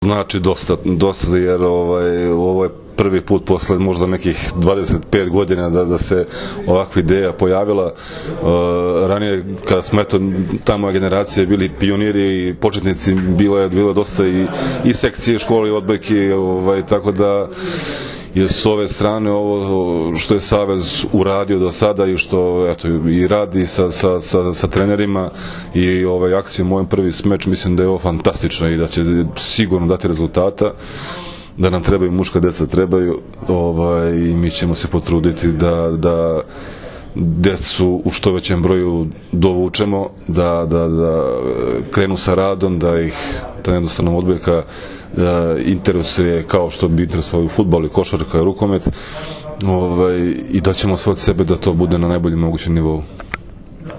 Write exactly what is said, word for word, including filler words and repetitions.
znači dosta, dosta jer ovaj, ovo je prvi put posle možda nekih dvadeset pet godina da, da se ovakva ideja pojavila. Uh, ranije kada smo eto ta moja generacija bili pioniri i početnici, bilo je, bilo je dosta i, i sekcije škole i odbojke, ovaj, tako da je s ove strane ovo što je Savez uradio do sada i što eto, i radi sa, sa, sa, sa trenerima i ovaj, akcijom moj prvi smeč, mislim da je ovo fantastično i da će sigurno dati rezultata, da nam trebaju muška deca, trebaju ovaj, i mi ćemo se potruditi da, da decu u što većem broju dovučemo, da, da, da krenu sa radom, da ih ta jednostavno odbojka da interesuje kao što bi interesovao fudbal i košarka i rukomet, ovaj, i da ćemo sve od sebe da to bude na najboljem mogućem nivou.